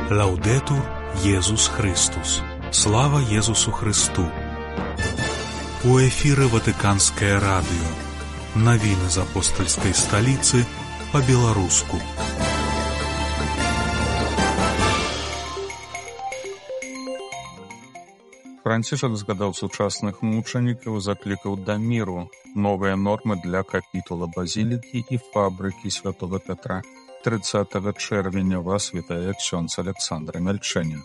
Лаўдэтур Езус Христус. Слава Езусу Христу. У эфіры Ватыканскае радыё. Навіны з апостальскай сталіцы па-беларуску. Францішак згадаў сучасных мучанікаў, заклікаў да міру, новыя нормы для капітула базілікі і фабрыкі святого Петра. 30 чэрвеня вас вітае ксёндз Александр Мельчэнін.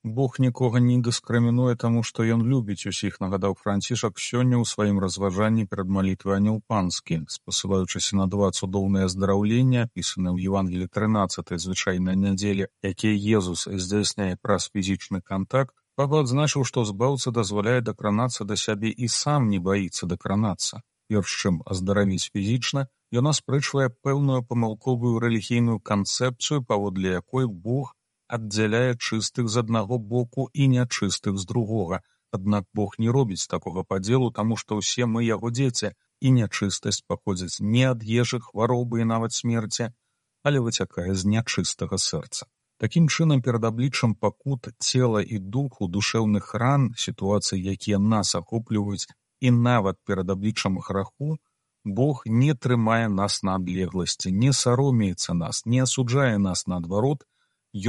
Бог нікога не дыскрымінуе, таму што ён любіць усіх, нагадаў Францішак сёння ў сваім разважанні перад малітвай Анёл Панскі, спасылаючыся на два цудоўныя аздараўлення, апісаныя ў Евангеліі 13 звычайнай нядзелі, якія Езус здзяйсняе праз фізічны кантакт. Папа адзначыў, што збаўца дазваляе дакранацца да сябе і сам не баіцца дакранацца. Перш чым аздаравіць фізічна, ён аспрэчвае пэўную памылковую рэлігійную канцэпцыю, паводле якой Бог аддзяляе чыстых з аднаго боку і нячыстых з другога. Аднак Бог не робіць такога падзелу, таму што ўсе мы яго дзеці, і нячыстасць паходзіць не ад ежы, хваробы і нават смерці, але выцякае з нячыстага сэрца. Такім чынам, перад абліччам пакут цела і духу, душэўных ран, сітуацый, якія нас ахопліваюць, і нават перад абліччам граху, Бог не трымае нас на адлегласці, не саромеецца нас, не асуджае нас наадварот,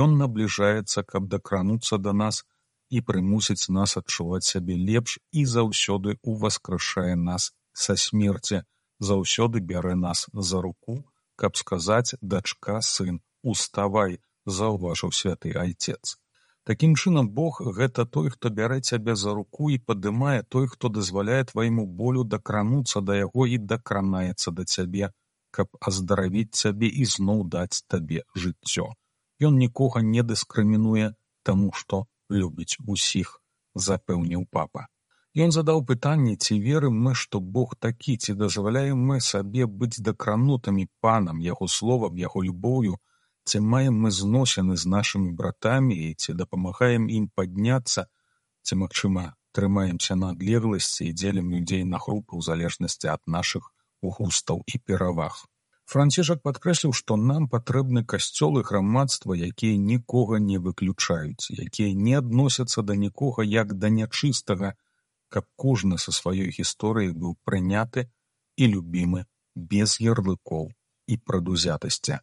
ён набліжаецца, каб дакрануцца да нас і прымусіць нас адчуваць сябе лепш і заўсёды ўваскрышае нас са смерці, заўсёды бярэ нас за руку, каб сказаць: «Дачка, сын, уставай», заўважыў святы айцец. Такім чынам, Бог — гэта той, хто бярэ цябе за руку і падымае, той, хто дазваляе твайму болю дакрануцца да яго і дакранаецца да цябе, каб аздаравіць цябе і зноў даць табе жыццё. Ён нікога не дыскрымінуе, таму што любіць усіх, запэўніў папа. Ён задаў пытанне, ці верым мы, што Бог такі, ці дазваляем мы сабе быць дакранутымі панам, яго словам, яго любоўю, ці маем мы зносіны з нашымі братамі і ці дапамагаем ім падняцца, ці, магчыма, трымаемся на адлегласці і дзелім людзей на групы ў залежнасці ад нашых густаў і пераваг. Францішак падкрэсліў, што нам патрэбны касцёл і грамадства, якія нікога не выключаюць, якія не адносяцца да нікога як да нячыстага, каб кожны са сваёй гісторыяй быў прыняты і любімы без ярлыкоў і прадузятасці.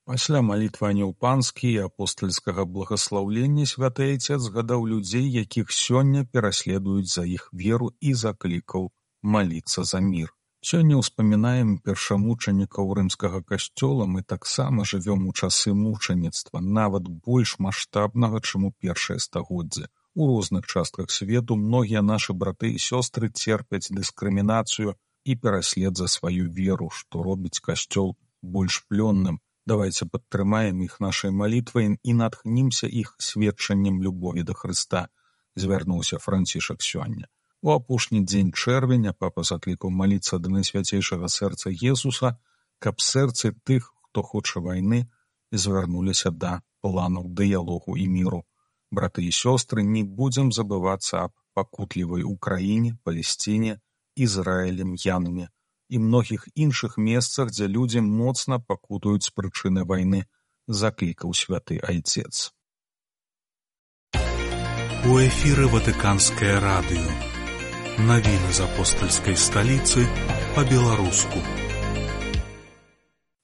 Пасля малітвы Анёл Панскі і апостальскага благаслаўлення святы айцец згадаў людзей, якіх сёння пераследуюць за іх веру, і заклікаў маліцца за мір. Сёння ўспамінаем першамучанікаў рымскага касцёла, мы таксама жывём у часы мучаніцтва, нават больш маштабнага, чым у першае стагоддзе. У розных частках свету многія нашы браты і сёстры церпяць дыскрымінацыю і пераслед за сваю веру, што робіць касцёл больш плённым. Давайце падтрымаем іх нашай малітвай і натхнімся іх сведчаннем любові да Хрыста, звярнуўся Францішак сёння. У апошні дзень чэрвеня папа заклікаў маліцца да найсвяцейшага сэрца Езуса, каб сэрцы тых, хто хоча вайны, звярнуліся да планаў дыялогу і міру. Браты і сёстры, не будзем забывацца аб пакутлівай Украіне, Палесціне, Ізраілі, М'янме і многіх іншых месцах, дзе людзі моцна пакутуюць з прычыны вайны, заклікаў святы айцец. У эфіры Ватыканскае радыё. Навіны з апостальскай сталіцы па-беларуску.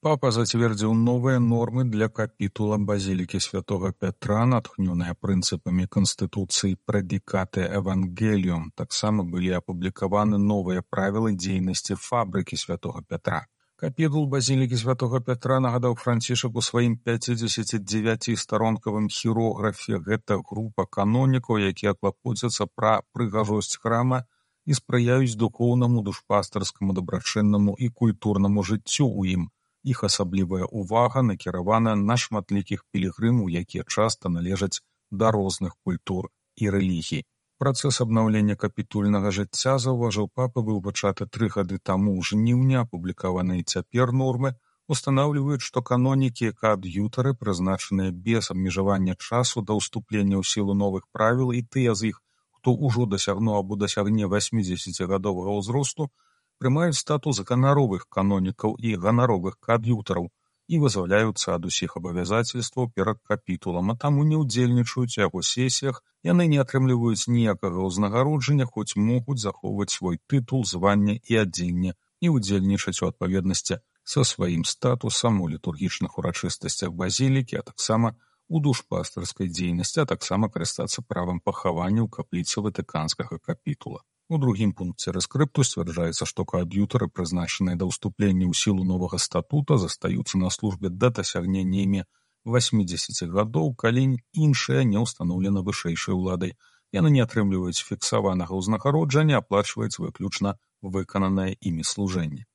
Папа зацвердзіў новыя нормы для капітула базілікі святого Петра, натхнёныя прынцыпамі Канстытуцыі Прэдикате Евангелиум. Таксама былі апублікаваны новыя правілы дзейнасці фабрыкі святого Петра. Капітул базілікі святого Петра, нагадаў Францішак у сваім 59-старонкавым хірографе, гэта група канонікаў, якія клапоцяцца пра прыгажосць храма і спрыяюць духоўнаму, душпастарскаму, дабрачыннаму і культурнаму жыццю ў ім. Іх асаблівая ўвага накіравана на шматлікіх пілігрымаў, якія часта належаць да розных культур і рэлігій. Працэс абнаўлення капітульнага жыцця, заўважыў папа, быў пачаты 3 гады таму ў жніўні, апублікаваныя цяпер нормы устанаўліваюць, што канонікі і каад'ютары, прызначаныя без абмежавання часу да ўступлення ў сілу новых правіл, і тыя з іх, хто ўжо дасягнуў або дасягне 80гадовага ўзросту, прымаюць статус ганаровых канонікаў і ганаровых каад'ютараў і вызваляюцца ад усіх абавязацельстваў перад капітулам, а таму не ўдзельнічаюць у яго сесіях, яны не атрымліваюць ніякага ўзнагароджання, хоць могуць захоўваць свой тытул, званне і адзенне і ўдзельнічаць у адпаведнасці са сваім статусам у літургічных урачыстасцях базілікі, а таксама у душпастырскай дзейнасці, а таксама карыстацца правам пахавання ў капліцы ватыканскага капітула. У другім пункце рэскрыпту сцвярджаецца, што каад'ютары, прызначаныя да ўступлення ў сілу новага статута, застаюцца на службе да дасягнення імі 80 гадоў, калі іншая не ўстаноўлена вышэйшай уладай. Яны не атрымліваюць фіксаванага ўзнагароджання, аплачваецца выключна выкананае імі служэнне.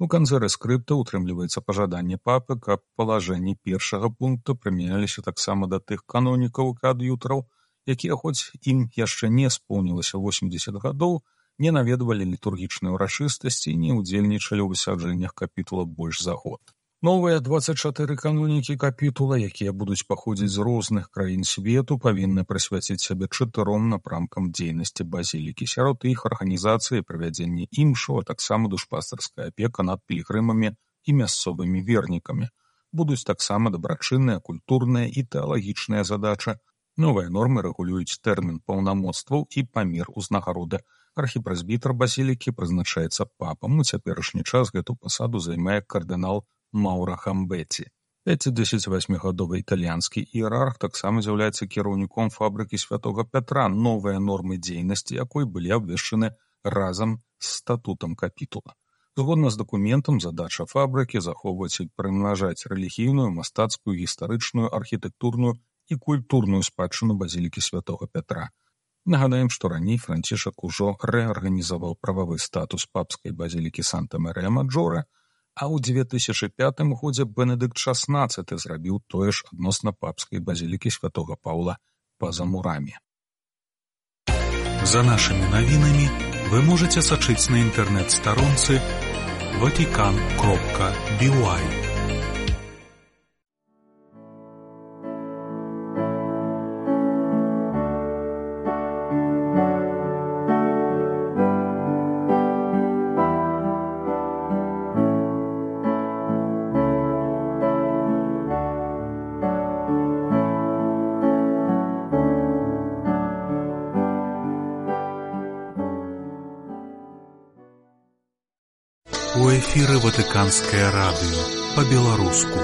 У канцы рэскрыпта ўтрымліваецца пажаданне папы, каб палажэнні першага пункта прымяняліся таксама да тых канонікаў і каад'ютараў, якія, хоць ім яшчэ не споўнілася 80 гадоў, не наведвалі літургічныя ўрачыстасці і не ўдзельнічалі ў высяджэннях капітула больш за год. Новыя 24 канонікі капітула, якія будуць паходзіць з розных краін свету, павінны прысвяціць сябе 4 напрамкам дзейнасці базілікі. Сярод іх арганізацыі і правядзенне імшаў, а таксама душпастырская апека над пілігрымамі і мясцовымі вернікамі. Будуць таксама дабрачынныя, культурныя і тэалагічныя задачы. Новыя нормы рэгулююць тэрмін паўнамоцтваў і памер узнагароды. Архіпрэзбітар базілікі прызначаецца папам. У цяперашні час гэту пасаду займае кардынал Маўра Хамбеці. 58гадовы італьянскі іерарх таксама з'яўляецца кіраўніком фабрыкі святога Пятра, новыя нормы дзейнасці якой былі абвешчаны разам з статутам капітула. Згодна з дакументам, задача фабрыкі захоўваць і прымнажаць рэлігійную, мастацкую, гістарычную, архітэктурную і культурную спадчыну базілікі святога Пятра. Нагадаем, што раней Францішак ужо рэарганізаваў прававы статус папскай базілікі Санта-Марыя-Маджора, а ў 2005 годзе Бенедыкт XVI зрабіў тое ж адносна папскай базілікі святога Паўла па-за мурамі. За нашымі навінамі вы можаце сачыць на інтэрнэт-старонцы vatican.by. У эфіры Ватыканскае радыё па-беларуску.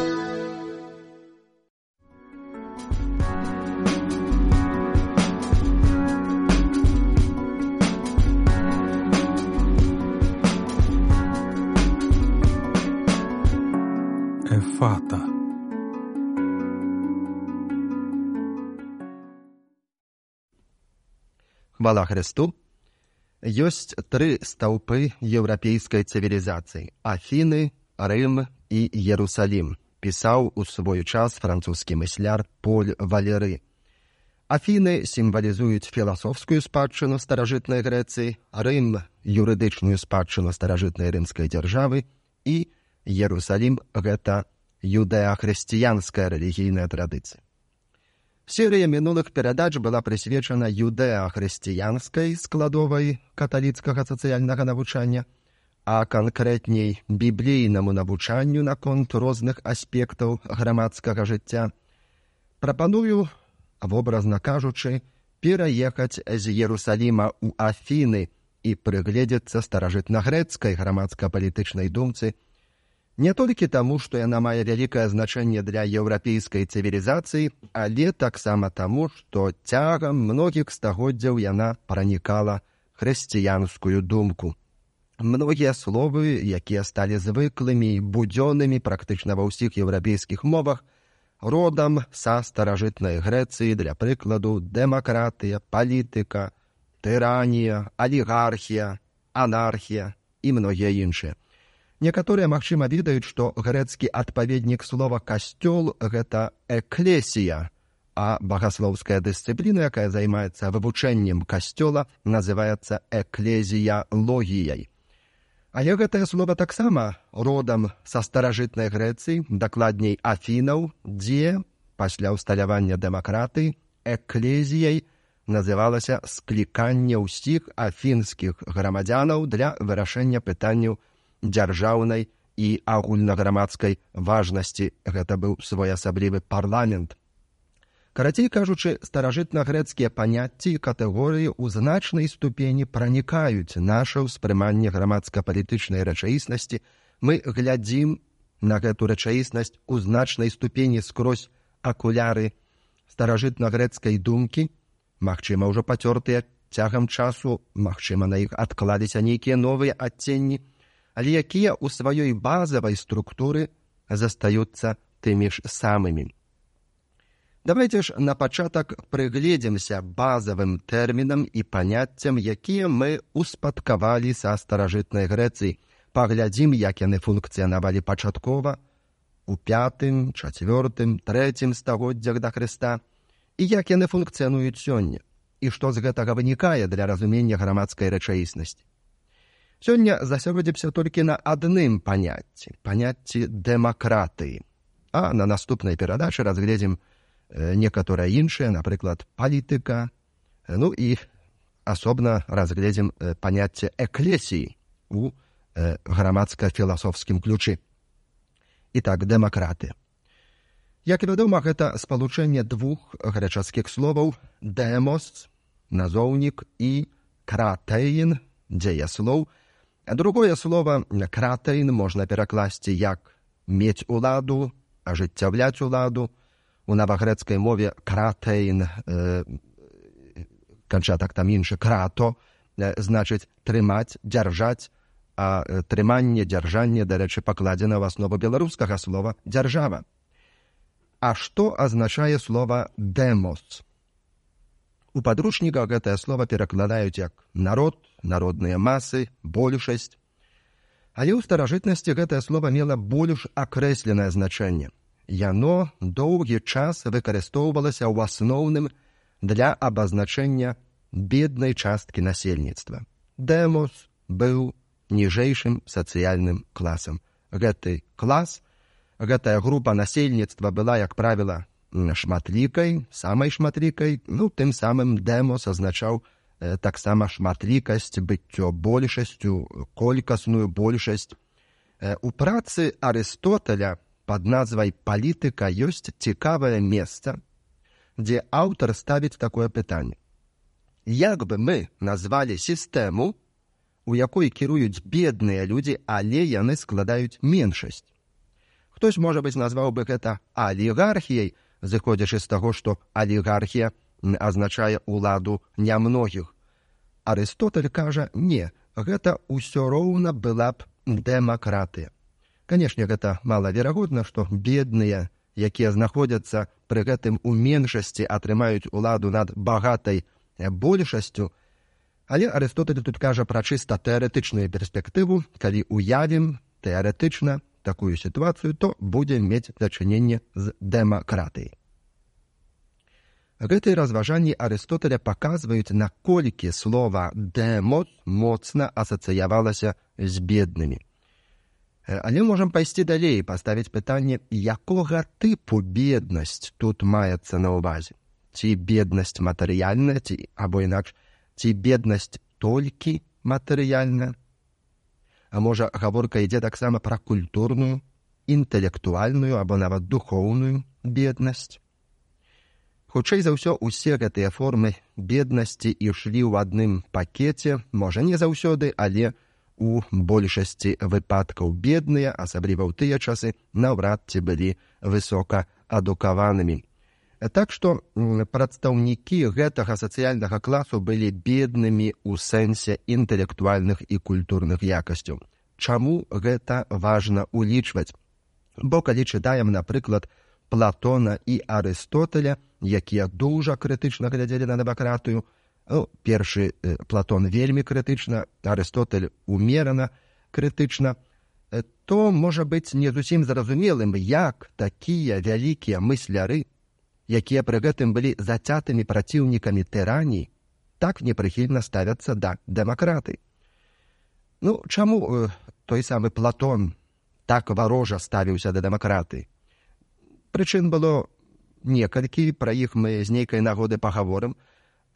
Эфата. Хвала Христу! Ёсць 3 стаўпы еўрапейскай цывілізацыі – Афіны, Рым і Ерусалім, пісаў у свой час французскі мысляр Поль Валеры. Афіны сімвалізуюць філасофскую спадчыну старажытнай Грэцыі, Рым – юрыдычную спадчыну старажытнай рымскай дзяржавы і Ерусалім – гэта юдэа-хрысціянская рэлігійная традыцыя. Серыя мінулых перадач была прысвечана юдэа-хрысціянскай складовай каталіцкага сацыяльнага навучання, а канкрэтней біблійнаму навучанню наконт розных аспектаў грамадскага жыцця. Прапаную, вобразна кажучы, пераехаць з Ерусаліма ў Афіны і прыгледзецца старажытнагрэцкай грамадска-палітычнай думцы, не толькі таму, што яна мае вялікае значэнне для еўрапейскай цывілізацыі, але таксама таму, што цягам многіх стагоддзяў яна пранікала хрысціянскую думку. Многія словы, якія сталі звыклымі і будзённымі практычна ва ўсіх еўрапейскіх мовах, родам са старажытнай Грэцыі, для прыкладу, дэмакратыя, палітыка, тыранія, алігархія, анархія і многія іншыя. Некаторыя, магчыма, ведаюць, што грэцкі адпаведнік слова «касцёл» – гэта «эклесія», а багаслоўская дысцыпліна, якая займаецца вывучэннем касцёла, называецца «эклезіялогіяй». Але гэтае слова таксама родам са старажытнай Грэцыі, дакладней Афінаў, дзе пасля ўсталявання дэмакратыі эклезіяй называлася скліканне ўсіх афінскіх грамадзянаў для вырашэння пытанняў дзяржаўнай і агульнаграмадскай важнасці. Гэта быў своеасаблівы парламент. Карацей кажучы, старажытнагрэцкія паняцці і катэгорыі ў значнай ступені пранікаюць наша ўспрыманне грамадска-палітычнай рэчаіснасці. Мы глядзім на гэту рэчаіснасць у значнай ступені скрозь акуляры старажытнагрэцкай думкі, магчыма, ўжо пацёртыя цягам часу, магчыма, на іх адкладзіся нейкія новыя адценні, але якія ў сваёй базавай структуры застаюцца тымі ж самымі. Давайте ж на пачатак прыгледзімся базавым тэрмінам і паняццям, якія мы успадкавалі са старажытнай Грэцыі. Паглядзім, як яны функцыянавалі пачаткова у 5, 4, 3 стагоддзях да Хрыста, і як яны функцыянуюць сёння, і што з гэтага вынікае для разумення грамадскай рэчаіснасці. Сёння засяродзімся толькі на адным паняцці дэмакратыі, а на наступнай перадачы разгледзім некаторыя іншыя, напрыклад, палітыка, ну і асобна разгледзім паняцце эклесіі у грамадска-філасофскім ключы. Ітак, дэмакратыя. Як вядома, гэта спалучэнне двух грэчаскіх словаў «дэмос» – назоўнік і «кратэін» – дзеяслоў. Другое слово «кратэін» можна перакласці як «мець уладу», «ажыццяўляць уладу». У навагрэцкай мове «кратэін» канчатак там іншы «крато» значыць трымаць, дзяржаць, а трыманне, дзяржанне, дарэчы, пакладзена ў аснову беларускага слова «дзяржава». А што азначае слова «дэмос»? У падручніках гэтае слова перакладаюць як народ, народныя масы, большасць. Але ў старажытнасці гэтае слова мела больш акрэсленае значэнне. Яно доўгі час выкарыстоўвалася ў асноўным для абазначэння беднай часткі насельніцтва. Дэмос быў ніжэйшым сацыяльным класам. Гэты клас, гэтая група насельніцтва была, як правіла, шматлікай, самай шматлікай, тым самым дэмос азначаў таксама шматлікасць, быццё большасцю, колькасную большасць. У працы Арыстотеля пад назвай «Палітыка» ёсць цікавае месца, дзе аўтар ставіць такое пытанне. Як бы мы назвалі сістэму, у якой кіруюць бедныя людзі, але яны складаюць меншасць? Хтось, можа быць, назваў бы гэта алігархіяй, зыходзячы з таго, што алігархія азначае ўладу нямногіх. Арыстотель кажа, не, гэта ўсё роўна была б дэмакратыя. Канешне, гэта малаверагодна, што бедныя, якія знаходзяцца пры гэтым у меншасці, атрымаюць уладу над багатай большасцю, але Арыстотель тут кажа пра чыста тэарэтычную перспектыву. Калі уявім тэарэтычна такую сітуацыю, то будзем мець дачыненне з дэмакратыяй. Гэтыя разважанні Арыстотеля паказваюць, наколькі слова «дэмос» моцна асацыявалася з беднымі. Але можам пайсці далей і паставіць пытанне, якога тыпу беднасць тут маецца на ўвазе. Ці беднасць матэрыяльная, або інакш, ці беднасць толькі матэрыяльная? А можа, гаворка ідзе таксама пра культурную, інтэлектуальную або нават духоўную беднасць? Хутчэй за ўсё, усе гэтыя формы беднасці ішлі ў адным пакеце, можа, не заўсёды, але у большасці выпадкаў бедныя, асабліва ў тыя часы, наўрад ці былі высока адукаванымі. Так што прадстаўнікі гэтага сацыяльнага класу былі беднымі ў сэнсе інтэлектуальных і культурных якасцяў. Чаму гэта важна улічваць? Бо калі чытаем, напрыклад, Платона і Арыстотеля, якія дужа крытычна глядзелі на дэмакратыю, першы Платон вельмі крытычна, Арыстотель умерана крытычна, то можа быць не зусім зразумелым, як такія вялікія мысляры, якія пры гэтым былі зацятымі праціўнікамі тыраній, так непрыхільна ставяцца да дэмакратыі. Чаму той самы Платон так варожа ставіўся да дэмакратыі? Прычын было некалькі, пра іх мы з нейкай нагоды пагаворым.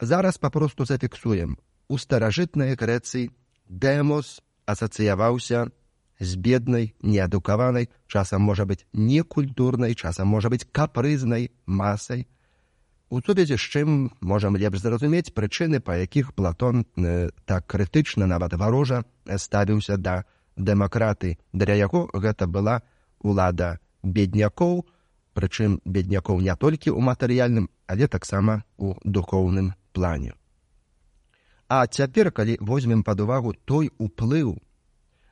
Зараз папросту зафіксуем. У старажытнай Грэцыі дэмос асацыяваўся з беднай, неадукаванай, часам можа быць некультурнай, часам можа быць капрызнай масай. У сувязі з чым можам лепш зразумець прычыны, па якіх Платон так крытычна, нават варожа, ставіўся да дэмакратыі. Для яго гэта была улада беднякоў, прычым беднякоў не толькі ў матэрыяльным, але таксама у духоўным плане. А цяпер, калі возьмем пад увагу той уплыў,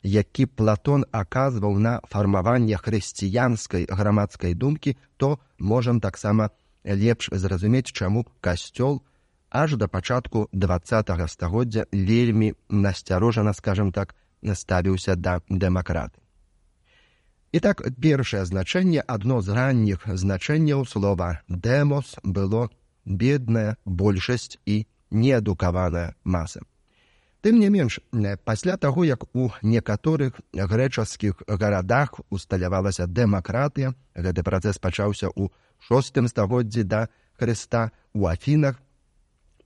які Платон аказваў на фармаванне хрысціянскай грамадскай думкі, то можам таксама лепш зразумець, чаму касцёл аж да пачатку 20-го стагоддзя вельмі насцярожана, скажем так, ставіўся да дэмакратыі. І так, першае значэнне, адно з ранніх значэнняў слова «дэмос» было бедная большасць і неадукаваная маса. Тым не менш, пасля таго, як у некаторых грэчаскіх гарадах усталявалася дэмакратыя, гэты працэс пачаўся ў 6 стагоддзі да Хрыста, у Афінах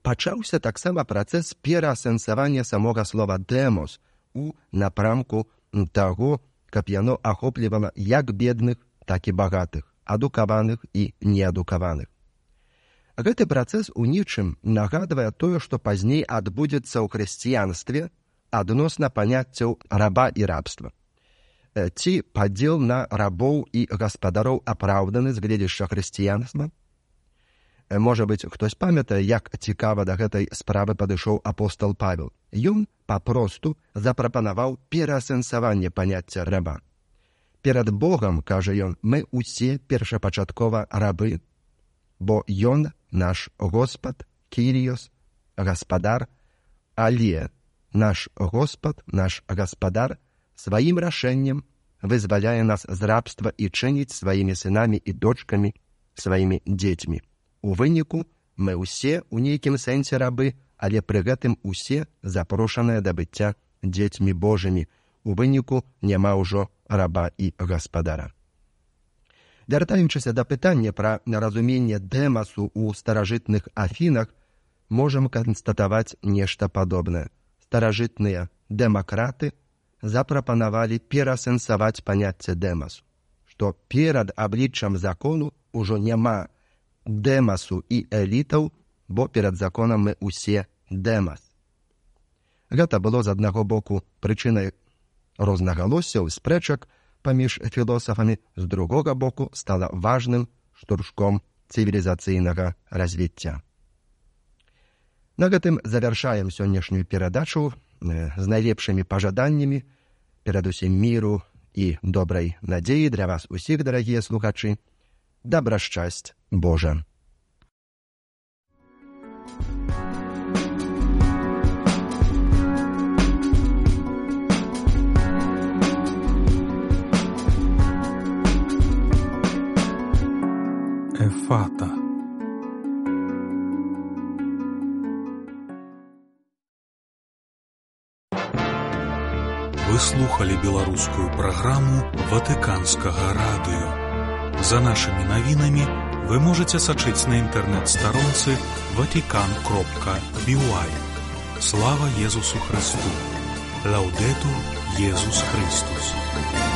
пачаўся таксама працэс пераасэнсавання самога слова «дэмос» у напрамку таго, каб яно ахоплівала як бедных, так і багатых, адукаваных і неадукаваных. Гэты працэс у нечым нагадвае тое, што пазней адбудзецца ў хрысціянстве адносна паняццяў раба і рабства. Ці падзел на рабоў і гаспадароў апраўданы з гледзяшча хрысціянства? Можа быць, хтось памятае, як цікава да гэтай справы падышоў апостол Павел. Ён папросту запрапанаваў пераасэнсаванне паняцця раба. Перад Богам, кажа ён, мы усе першапачаткова рабы, бо ён наш Господ, Кіріос, гаспадар, але наш Господ, наш гаспадар сваім рашэннем вызваляе нас з рабства і чыніць сваімі сынамі і дочкамі, сваімі дзецьмі. У выніку мы ўсе ў нейкім сэнсе рабы, але пры гэтым усе запрошаныя да быцця дзецьмі Божымі. У выніку няма ўжо раба і гаспадара. Вяртаючыся да пытання пра разуменне дэмасу ў старажытных Афінах, можам канстатаваць нешта падобнае. Старажытныя дэмакраты запрапанавалі пераасэнсаваць паняцце дэмасу, што перад абліччам закону ўжо няма дэмасу і элітаў, бо перад законам мы усе дэмас. Гэта было з аднаго боку прычынай рознагалоссяў, спрэчак паміж філосафамі, з другога боку стала важным штуршком цывілізацыйнага развіцця. На гэтым завяршаем сённяшнюю перадачу з найлепшымі пажаданнямі, перадусім міру і добрай надзеі для вас усіх, дарагія слухачы. Добра шчасць Божа! Эфата. Вы слухали беларускую праграму Ватыканскага радыё. За нашымі навінамі вы можаце сачыць на інтэрнэт-старонцы vatican.by. Слава Езусу Христу! Лаўдэтур Езус Христус!